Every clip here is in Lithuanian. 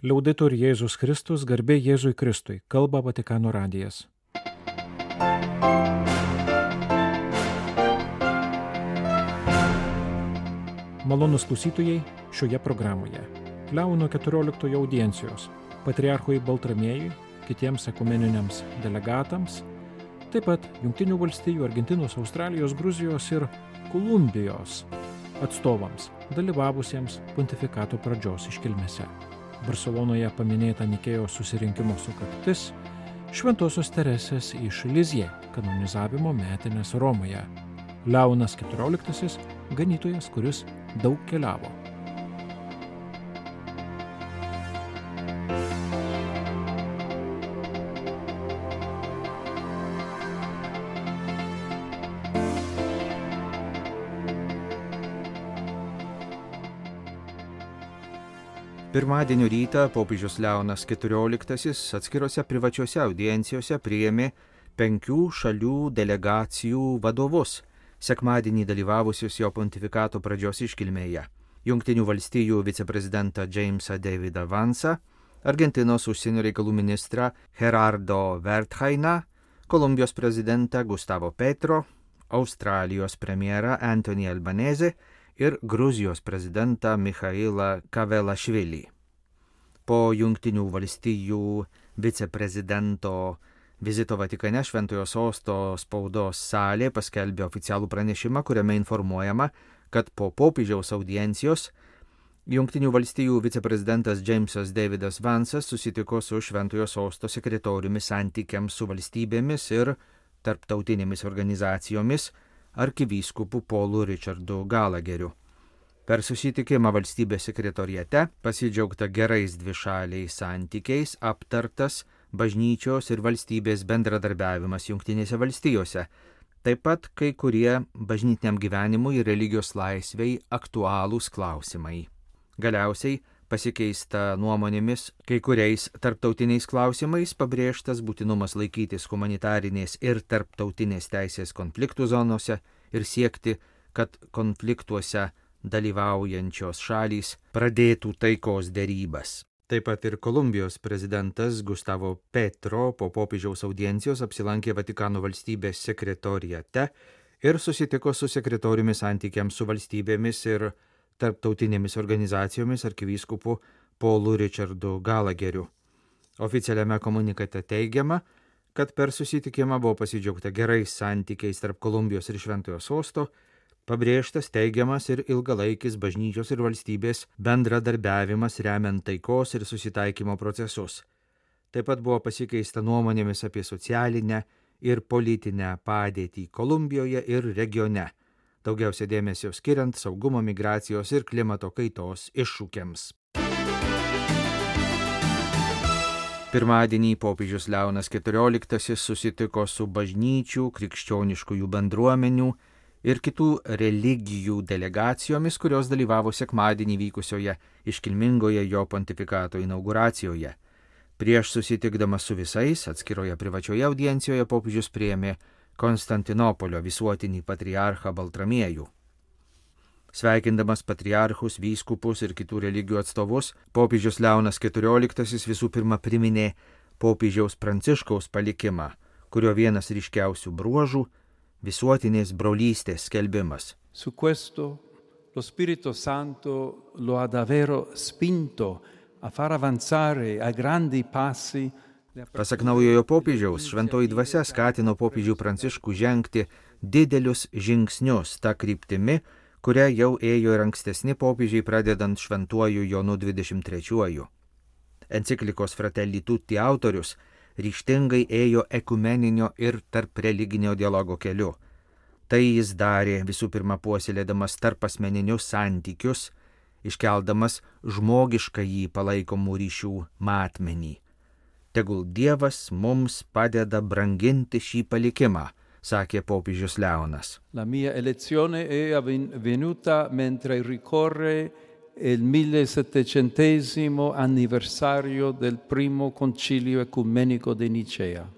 Liaudetur Jėzus Kristus, garbė Jėzui Kristui, kalba Vatikano radijas. Malonūs klausytojai šioje programoje. Leono 14 audiencijos, patriarchui Baltramiejui, kitiems ekumeniniams delegatams, taip pat Jungtinių valstijų, Argentinos, Australijos, Gruzijos ir Kolumbijos atstovams, dalyvavusiems pontifikato pradžios iškilmėse. Barselonoje paminėta Nikėjos susirinkimo sukaktis, Šventosios Teresės iš Lizie kanonizavimo metinės Romoje. Leonas 14, ganytojas, kuris daug keliavo. Pirmadienio rytą popiežius Leonas XIV atskirose privačiose audiencijose priėmė 5 šalių delegacijų vadovus, sekmadienį dalyvavusius jo pontifikato pradžios iškilmėje. Jungtinių valstijų viceprezidentą Jamesą Davidą Vansą, Argentinos užsienio reikalų ministrą Gerardo Wertheiną, Kolumbijos prezidentą Gustavo Petro, Australijos premjerą Anthony Albanese ir Gruzijos prezidentą Michailą Kavelašvilį. Po Jungtinių valstijų viceprezidento vizito Vatikane Šventojo Sosto spaudos salė paskelbė oficialų pranešimą, kuriame informuojama, kad po popiežiaus audiencijos Jungtinių valstijų viceprezidentas Jamesas Davidas Vansas susitiko su Šventojo Sosto sekretoriumi santykiams su valstybėmis ir tarptautinėmis organizacijomis arkivyskupu Paulu Richardu Gallagheriu. Per susitikimą valstybės sekretoriate pasidžiaugta gerais dvišaliais santykiais, aptartas bažnyčios ir valstybės bendradarbiavimas Jungtinėse valstijose, taip pat kai kurie bažnytiniam gyvenimui ir religijos laisvei aktualūs klausimai. Galiausiai pasikeista nuomonėmis kai kuriais tarptautiniais klausimais, pabrėžtas būtinumas laikytis humanitarinės ir tarptautinės teisės konfliktų zonose ir siekti, kad konfliktuose dalyvaujančios šalys pradėtų taikos derybas. Taip pat ir Kolumbijos prezidentas Gustavo Petro po popiežiaus audiencijos apsilankė Vatikano valstybės sekretoriate ir susitiko su sekretoriumi santykiams su valstybėmis ir tarptautinėmis organizacijomis arkivyskupu Paulu Richardu Gallagheriu. Oficialiame komunikate teigiama, kad per susitikimą buvo pasidžiaugta gerais santykiais tarp Kolumbijos ir Šventojo Sosto, pabrėžtas teigiamas ir ilgalaikis bažnyčios ir valstybės bendradarbiavimas remiant taikos ir susitaikymo procesus. Taip pat buvo pasikeista nuomonėmis apie socialinę ir politinę padėtį Kolumbijoje ir regione, daugiausia dėmesio skiriant saugumo, migracijos ir klimato kaitos iššūkiams. Pirmadienį popiežius Leonas XIV susitiko su bažnyčių, krikščioniškųjų bendruomenių ir kitų religijų delegacijomis, kurios dalyvavo sekmadienį vykusioje iškilmingoje jo pontifikato inauguracijoje. Prieš susitikdamas su visais, atskiroje privačioje audiencijoje popiežius priėmė Konstantinopolio visuotinį patriarchą Baltramiejų. Sveikindamas patriarchus, vyskupus ir kitų religijų atstovus, popiežius Leonas XIV visų pirma priminė popiežiaus Pranciškaus palikimą, kurio vienas ryškiausių bruožų visuotinės brolystės skelbimas. Su questo lo Spirito Santo lo ha davvero spinto a far avanzare a grandi passi. Pasak naujojo popiežiaus, šventoji dvasia skatino popiežių Pranciškų žengti didelius žingsnius tą kryptimi, kurią jau ėjo ir ankstesni popiežiai pradedant šventuoju Jonu 23. Enciklikos Fratelli Tutti autorius ryžtingai ėjo ekumeninio ir tarp religinio dialogo keliu. Tai jis darė visų pirma puoselėdamas tarpasmeninius santykius, iškeldamas žmogiškąjį palaikomų ryšių matmenį. Tegul Dievas mums padeda branginti šį palikimą, sakė popiežius Leonas. La mia elezione è avvenuta mentre ricorre il 1700° anniversario del primo concilio ecumenico di Nicea.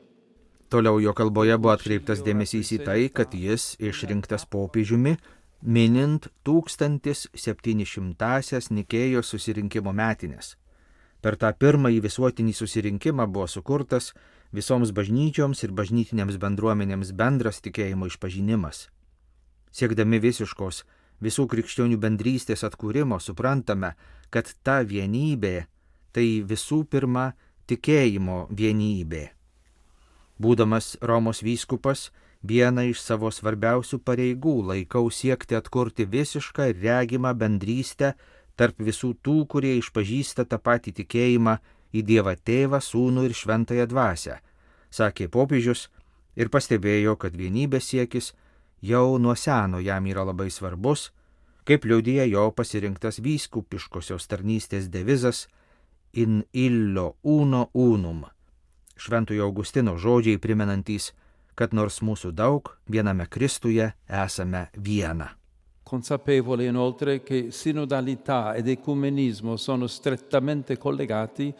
Toliau jo kalboje buvo atkreiptas dėmesys į tai, kad jis išrinktas popiežiumi minint 1700-asias Nikėjos susirinkimo metinės. Per tą pirmąjį visuotinį susirinkimą buvo sukurtas visoms bažnyčioms ir bažnytinėms bendruomenėms bendras tikėjimo išpažinimas. Siekdami visiškos visų krikščionių bendrystės atkūrimo suprantame, kad ta vienybė tai visų pirma tikėjimo vienybė. Būdamas Romos vyskupas, vieną iš savo svarbiausių pareigų laikau siekti atkurti visišką ir regimą bendrystę tarp visų tų, kurie išpažįsta tą patį tikėjimą į Dievą Tėvą, Sūnų ir Šventąją Dvasią, sakė popiežius ir pastebėjo, kad vienybės siekis jau nuo seno jam yra labai svarbus, kaip liudija jo pasirinktas vyskupiškosios tarnystės devizas In illo uno unum. Šventojo Augustino žodžiai primenantys, kad nors mūsų daug, viename Kristuje esame viena. Consapevole inoltre che sinodalità ed ecumenismo sono strettamente collegati,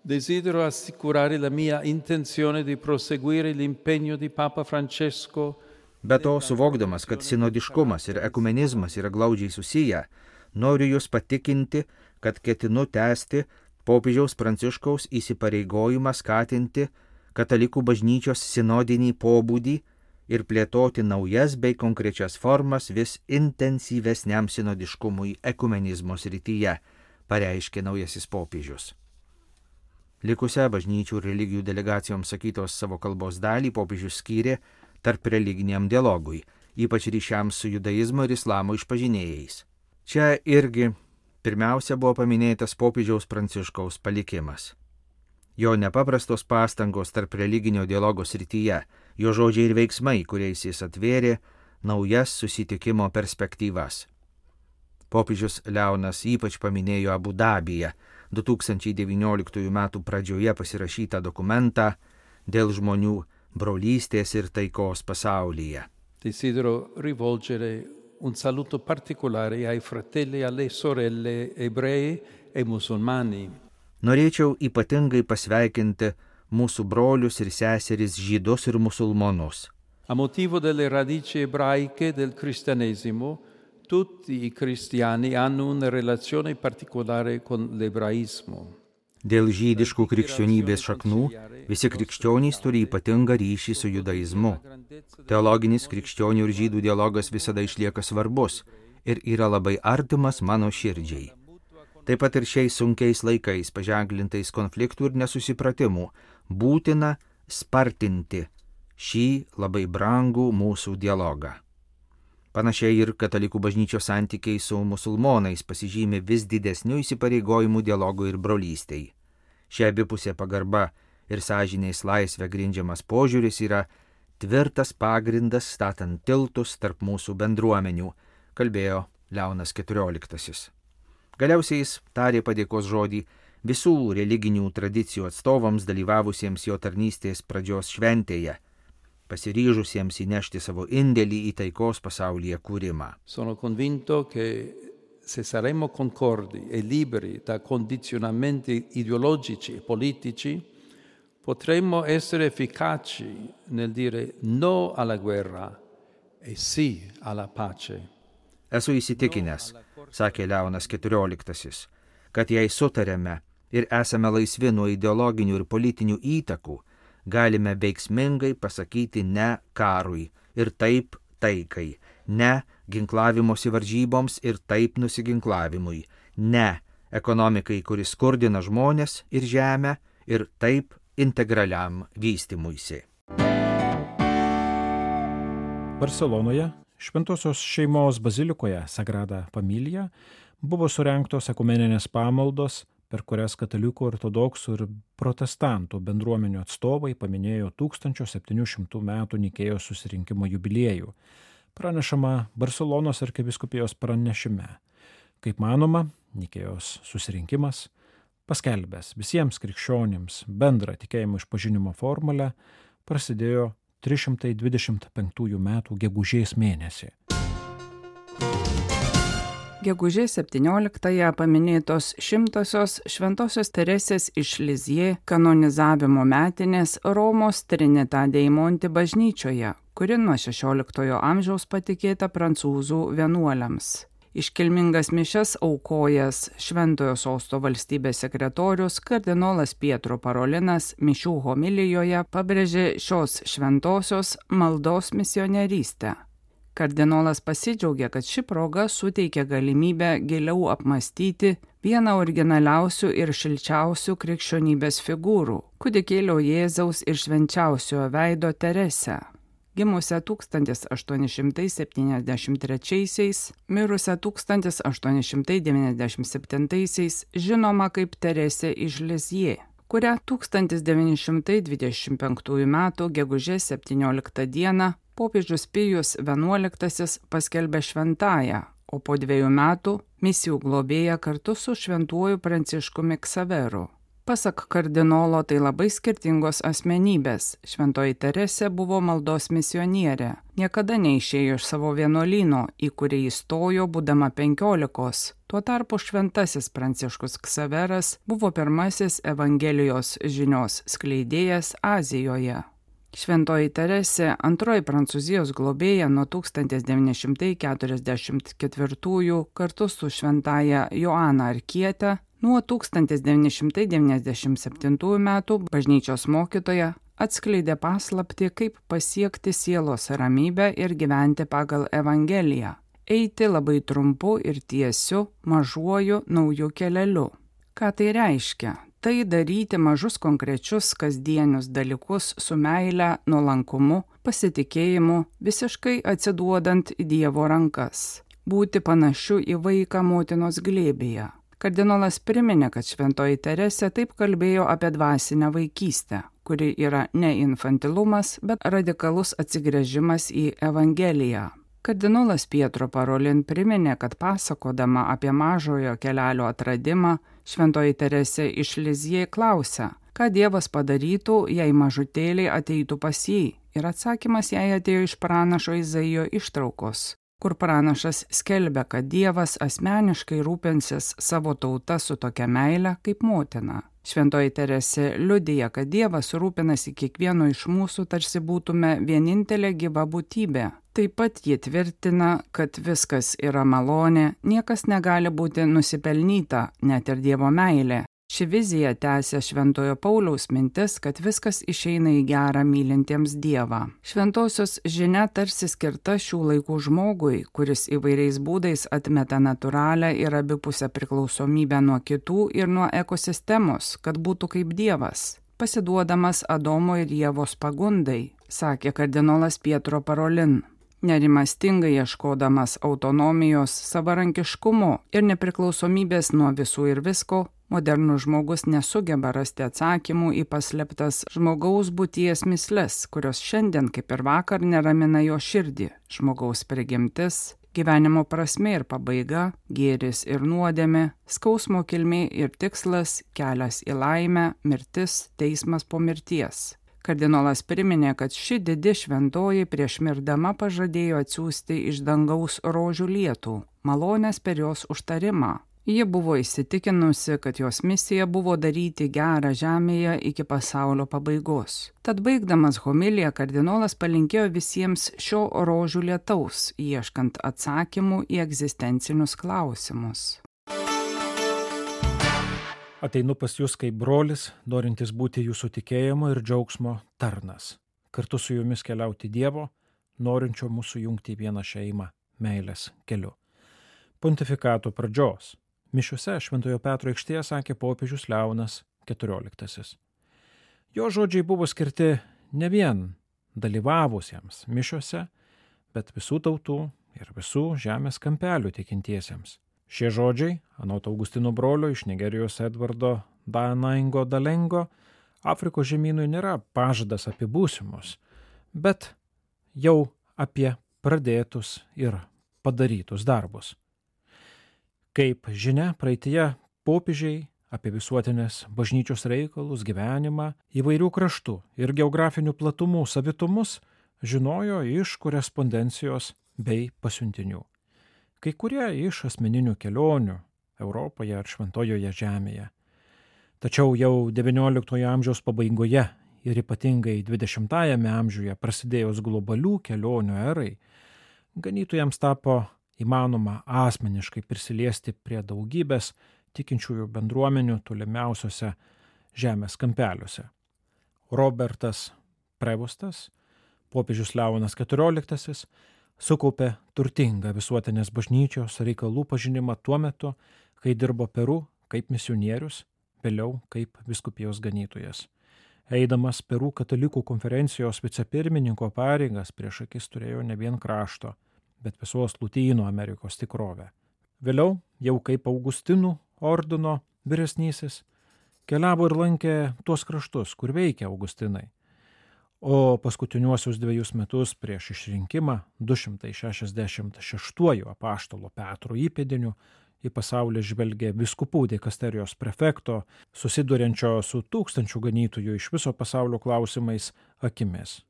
desidero assicurare la mia intenzione di proseguire l'impegno di Papa Francesco. Be to, suvokdamas, kad sinodiškumas ir ekumenizmas yra glaudžiai susiję, noriu jūs patikinti, kad ketinu tęsti popiežiaus Pranciškaus įsipareigojimą skatinti katalikų bažnyčios sinodinį pobūdį ir plėtoti naujas bei konkrečias formas vis intensyvesniam sinodiškumui ekumenizmo srityje, pareiškė naujasis popiežius. Likusią bažnyčių ir religijų delegacijoms sakytos savo kalbos dalį popiežius skyrė tarp religiniam dialogui, ypač ryšiams su judaizmo ir islamo išpažinėjais. Čia irgi pirmiausia buvo paminėtas popiežiaus Pranciškaus palikimas. Jo nepaprastos pastangos tarp religinio dialogo srityje, jo žodžiai ir veiksmai, kuriais jis atvėrė naujas susitikimo perspektyvas. Popiežius Leonas ypač paminėjo Abu Dabyje 2019 m. pradžioje pasirašytą dokumentą dėl žmonių brolystės ir taikos pasaulyje. Desidero rivolgere un saluto particolare ai fratelli e alle sorelle ebrei e musulmani. Norėčiau ypatingai pasveikinti mūsų brolius ir seseris žydus ir musulmonus. A motivo delle radici ebraiche del cristianesimo, tutti i cristiani hanno una relazione particolare con l'ebraismo. Dėl žydiškų krikščionybės šaknų visi krikščionys turi ypatingą ryšį su judaizmu. Teologinis krikščionių ir žydų dialogas visada išlieka svarbus ir yra labai artimas mano širdžiai. Taip pat ir šiais sunkiais laikais, paženklintais konfliktų ir nesusipratimų, būtina spartinti šį labai brangų mūsų dialogą. Panašiai ir katalikų bažnyčios santykiai su musulmonais pasižymi vis didesniu įsipareigojimu dialogui ir brolystei. Šia abipusė pagarba ir sąžinės laisvė grindžiamas požiūris yra tvirtas pagrindas statant tiltus tarp mūsų bendruomenių, kalbėjo Leonas XIV. Galiausiai jis tarė padėkos žodį visų religinių tradicijų atstovams dalyvavusiems jo tarnystės pradžios šventėje, pasiryžusiems įnešti savo indėlį į taikos pasaulyje kūrimą. Sono convinto che se saremo concordi e liberi da condizionamenti ideologici e politici, potremmo essere efficaci nel dire no alla guerra e sì alla pace. Esu įsitikinęs, sakė Leonas XIV, kad jei sutarėme ir esame laisvi nuo ideologinių ir politinių įtakų, galime veiksmingai pasakyti ne karui ir taip taikai, ne ginklavimosi varžyboms ir taip nusiginklavimui, ne ekonomikai, kuris skurdina žmonės ir žemę ir taip integraliam vystymuisi. Barselonoje, Šventosios šeimos bazilikoje Sagrada Familia buvo surengtos ekumeninės pamaldos, per kurias katalikų, ortodoksų ir protestantų bendruomenių atstovai paminėjo 1700 metų Nikėjos susirinkimo jubiliejų, pranešama Barselonos arkivyskupijos pranešime. Kaip manoma, Nikėjos susirinkimas, paskelbęs visiems krikščionims bendrą tikėjimo išpažinimo formulę, prasidėjo 325 metų gegužės mėnesį. Gegužės 17-ąją paminėtos 100-osios Šventosios Teresės iš Lizjė kanonizavimo metinės Romos Trinità dei Monti bažnyčioje, kuri nuo XVI amžiaus patikėta prancūzų vienuoliams. Iškilmingas mišias aukojęs Šventojo sosto valstybės sekretorius kardinolas Pietro Parolinas mišių homilijoje pabrėžė šios šventosios maldos misionierystę. Kardinolas pasidžiaugė, kad ši proga suteikia galimybę giliau apmąstyti vieną originaliausių ir šilčiausių krikščionybės figūrų - kūdikėlio Jėzaus ir švenčiausiojo veido Teresę. Gimusią 1873, mirusią 1897, žinoma kaip Teresė iš Lizjė, kurią 1925 m. gegužės 17 d. popiežius Pijus XI paskelbė šventąją, o po 2 metų misijų globėja kartu su šventuoju Pranciškumi Ksaveru. Pasak kardinolo, tai labai skirtingos asmenybės. Šventoji Teresė buvo maldos misionierė. Niekada neišėjo iš savo vienuolyno, į kurį įstojo būdama 15. Tuo tarpu šventasis Pranciškus Ksaveras buvo pirmasis Evangelijos žinios skleidėjas Azijoje. Šventoji Teresė, antroji Prancūzijos globėja nuo 1944 kartu su šventaja Joana Arkiete, nuo 1997 metų bažnyčios mokytoja atskleidė paslaptį, kaip pasiekti sielos ramybę ir gyventi pagal Evangeliją, eiti labai trumpu ir tiesiu, mažuoju nauju keleliu. Ką tai reiškia? Tai daryti mažus konkrečius kasdienius dalykus su meile, nuolankumu, pasitikėjimu, visiškai atsiduodant į Dievo rankas. Būti panašiu į vaiką motinos glėbyje. Kardinolas priminė, kad šventoji Teresė taip kalbėjo apie dvasinę vaikystę, kuri yra ne infantilumas, bet radikalus atsigręžimas į Evangeliją. Kardinolas Pietro Parolin priminė, kad pasakodama apie mažojo kelelio atradimą, šventoji Teresė iš Lizjė klausia, ką Dievas padarytų, jei mažutėliai ateitų pas jį, ir atsakymas jai atėjo iš pranašo Izaijo ištraukos, kur pranašas skelbia, kad Dievas asmeniškai rūpinsis savo tauta su tokia meile kaip motina. Šventoji Teresė liudija, kad Dievas rūpinasi kiekvieno iš mūsų, tarsi būtume vienintelė gyva būtybė. Taip pat ji tvirtina, kad viskas yra malonė, niekas negali būti nusipelnyta, net ir Dievo meilė. Ši vizija tęsia Šventojo Pauliaus mintis, kad viskas išeina į gerą mylintiems Dievą. Šventosios žinia tarsi skirta šių laikų žmogui, kuris įvairiais būdais atmeta natūralią ir abipusę priklausomybę nuo kitų ir nuo ekosistemos, kad būtų kaip Dievas, pasiduodamas Adomo ir Ievos pagundai, sakė kardinolas Pietro Parolin. Nerimastingai ieškodamas autonomijos, savarankiškumo ir nepriklausomybės nuo visų ir visko, modernus žmogus nesugeba rasti atsakymų į paslėptas žmogaus būties mįsles, kurios šiandien kaip ir vakar neramina jo širdį. Žmogaus prigimtis, gyvenimo prasmė ir pabaiga, gėris ir nuodėmė, skausmo kilmė ir tikslas, kelias į laimę, mirtis, teismas po mirties. Kardinolas priminė, kad ši didi šventoji prieš mirdama pažadėjo atsiųsti iš dangaus rožių lietų, malonės per jos užtarimą. Ji buvo įsitikinusi, kad jos misija buvo daryti gerą žemėje iki pasaulio pabaigos. Tad baigdamas homiliją kardinolas palinkėjo visiems šio rožių lietaus, ieškant atsakymų į egzistencinius klausimus. Ateinu pas jūs kaip brolis, norintis būti jūsų tikėjimo ir džiaugsmo tarnas. Kartu su jumis keliauti Dievo, norinčio mūsų jungti į vieną šeimą, meilės keliu. Pontifikato pradžios. Mišiuose Šventojo Petro aikštėje sakė popiežius Leonas XIV. Jo žodžiai buvo skirti ne vien dalyvavusiems mišiuose, bet visų tautų ir visų žemės kampelių tikintiesiems. Šie žodžiai, anot Augustino brolio iš Nigerijos Edvardo Danaingo Dalengo, Afrikos žemynui nėra pažadas apie būsimus, bet jau apie pradėtus ir padarytus darbus. Kaip žinia, praeityje popiežiai apie visuotinės bažnyčios reikalus, gyvenimą, įvairių kraštų ir geografinių platumų savitumus žinojo iš korespondencijos bei pasiuntinių. Kai kurie iš asmeninių kelionių Europoje ar Šventojoje žemėje. Tačiau jau XIX amžiaus pabaigoje ir ypatingai XX amžiuje prasidėjus globalių kelionių erai, ganytojams tapo įmanoma asmeniškai prisiliesti prie daugybės tikinčiųjų bendruomenių tolimiausiose žemės kampeliuose. Robertas Prevostas, popiežius Leonas XIV, sukaupė turtingą visuotinės bažnyčios reikalų pažinimą tuo metu, kai dirbo Peru kaip misionierius, vėliau kaip vyskupijos ganytojas. Eidamas Peru katalikų konferencijos vicepirmininko pareigas prieš akis turėjo ne vien krašto, bet visos Lotynų Amerikos tikrovę. Vėliau, jau kaip Augustinų ordino vyresnysis, keliavo ir lankė tuos kraštus, kur veikia Augustinai. O paskutiniuosius 2 metus prieš išrinkimą 266 apaštalo Petro įpėdiniu į pasaulį žvelgė vyskupų dikasterijos prefekto, susiduriančio su 1000 ganytojų iš viso pasaulio klausimais akimis.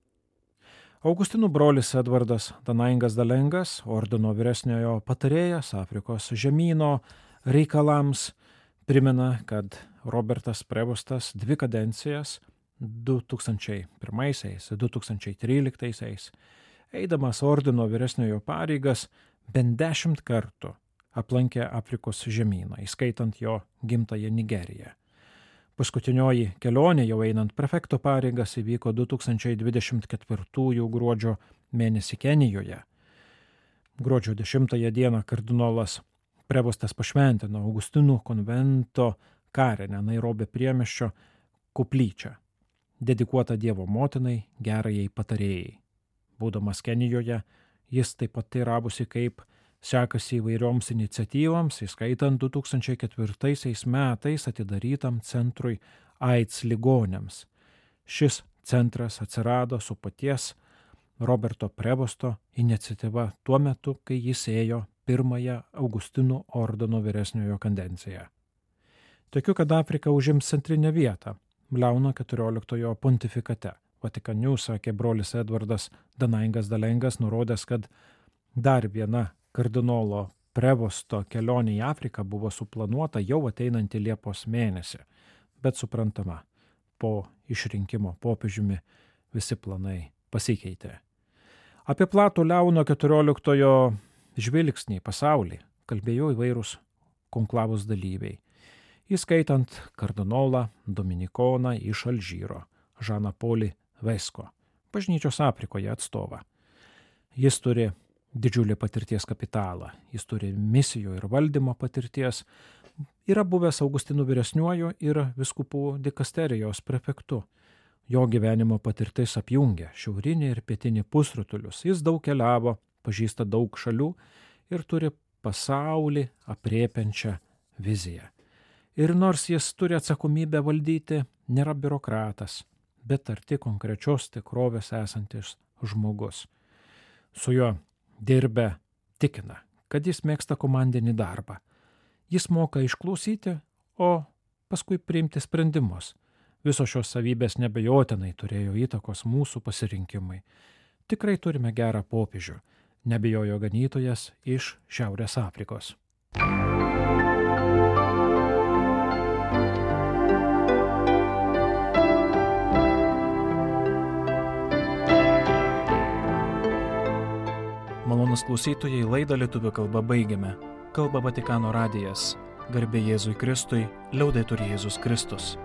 Augustinų brolis Edvardas Danaingas Dalengas, ordino vyresniojo patarėjas Afrikos žemyno reikalams, primena, kad Robertas Prevostas 2 kadencijas 2001-2013, eidamas ordino vyresniojo pareigas, bent 10 kartų aplankė Afrikos žemyną, įskaitant jo gimtąją Nigeriją. Paskutinioji kelionė jau einant prefekto pareigas įvyko 2024 gruodžio mėnesį Kenijoje. Gruodžio 10 dieną kardinolas Prevostas pašventino Augustinų konvento karinę Nairobio priemiesčio koplyčią, dedikuotą Dievo motinai, gerajai patarėjai. Būdamas Kenijoje, jis taip pat teiravosi, kaip sekasi įvairioms iniciatyvams, įskaitant 2004 metais atidarytam centrui AIDS ligoniams. Šis centras atsirado su paties Roberto Prevosto iniciatyva tuo metu, kai jis ėjo pirmąją Augustinų ordino vyresniojo kadenciją. Tikiu, kad Afrika užims centrinę vietą Leono XIV pontifikate. Vatikaniu sakė brolis Edvardas Danaingas Dalengas, nurodęs, kad dar viena kardinolo Prevosto kelionė į Afriką buvo suplanuota jau ateinantį Liepos mėnesį, bet suprantama, po išrinkimo popiežiumi visi planai pasikeitė. Apie platų Leono XIV žvilgsnį į pasaulį kalbėjo įvairūs konklavos dalyviai, įskaitant kardinolą Dominikoną iš Alžyro, Žaną Polį Vesko, bažnyčios Afrikoje atstovą. Jis turi didžiulį patirties kapitalą, jis turi misijų ir valdymo patirties, yra buvęs Augustinų vyresniuoju ir vyskupų dikasterijos prefektu. Jo gyvenimo patirtis apjungia šiaurinį ir pietinį pusrutulius, jis daug keliavo, pažįsta daug šalių ir turi pasaulį aprėpiančią viziją. Ir nors jis turi atsakomybę valdyti, nėra biurokratas, bet arti konkrečios tikrovės esantis žmogus. Su juo dirbę tikina, kad jis mėgsta komandinį darbą. Jis moka išklausyti, o paskui priimti sprendimus. Visos šios savybės nebejotinai turėjo įtakos mūsų pasirinkimui. Tikrai turime gerą popiežių, nebijojo ganytojas iš Šiaurės Afrikos. Malonus klausytojai, laidą lietuvių kalba baigiame. Kalba Vatikano radijas. Garbė Jėzui Kristui, liaudetur Jėzus Kristus.